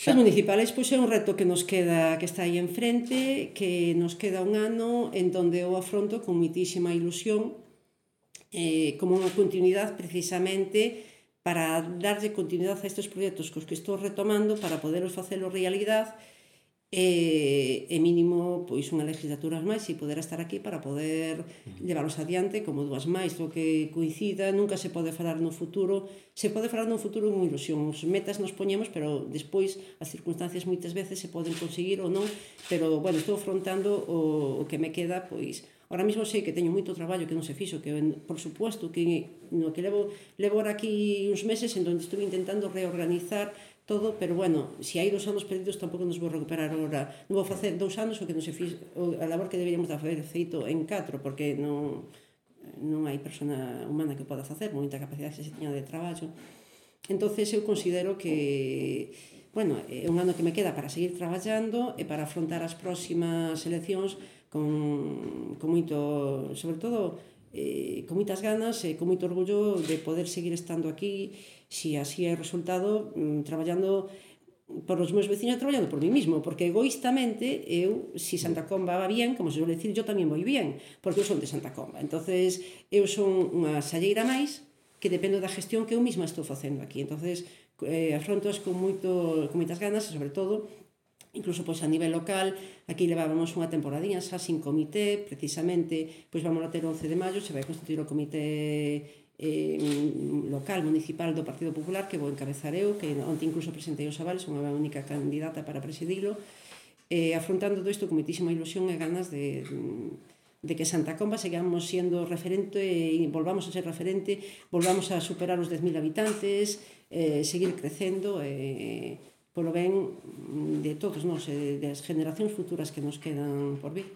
Os municipales, pois, é un reto que nos queda, que está aí enfrente, que nos queda un ano en donde eu afronto con moitísima ilusión, como unha continuidade precisamente para darlle continuidade a estes proxectos cos que estou retomando para poderos facelo realidade e mínimo pois unha legislatura máis e poder estar aquí para poder leválos adiante como dúas máis, o que coincida. Nunca se pode falar no futuro, se pode falar no futuro con ilusión, os metas nos poñemos, pero despois as circunstancias moitas veces se poden conseguir ou non, pero bueno, estou afrontando o que me queda, pois ahora mesmo sei que teño moito traballo que non se fixo, que por suposto que no que levo ahora aquí uns meses en donde estuve intentando reorganizar todo, pero bueno, se hai 2 anos perdidos tampouco nos vou recuperar agora, non vou facer 2 anos o que non se fixo, a labor que deberíamos de haber feito en 4, porque non hai persona humana que poda facer, moita capacidade que se tiña de traballo. Entonces eu considero que bueno, é un ano que me queda para seguir traballando e para afrontar as próximas eleccións con moito, sobre todo, con moitas ganas e con moito orgullo de poder seguir estando aquí, se así é o resultado, traballando por os meus veciños e traballando por mí mismo, porque egoístamente eu, se Santa Comba va bien, como se suele decir, yo tamén voi bien, porque eu son de Santa Comba. Entonces eu son unha salleira máis que dependo da gestión que eu mesma estou facendo aquí. Entonces afrontos con moitas ganas e, sobre todo, incluso pois a nivel local, aquí levábamos unha temporadinha xa sin comité, precisamente, pois vamos a ter o 11 de maio, se vai constituir o comité local, municipal do Partido Popular, que vou encabezar eu, que onte incluso presentei os avales, unha única candidata para presidilo, afrontando todo isto con moitísima ilusión e ganas de que Santa Comba sigamos sendo referente e volvamos a ser referente, volvamos a superar os 10.000 habitantes, seguir crecendo polo ben de todos nós, das generacións futuras que nos quedan por vir.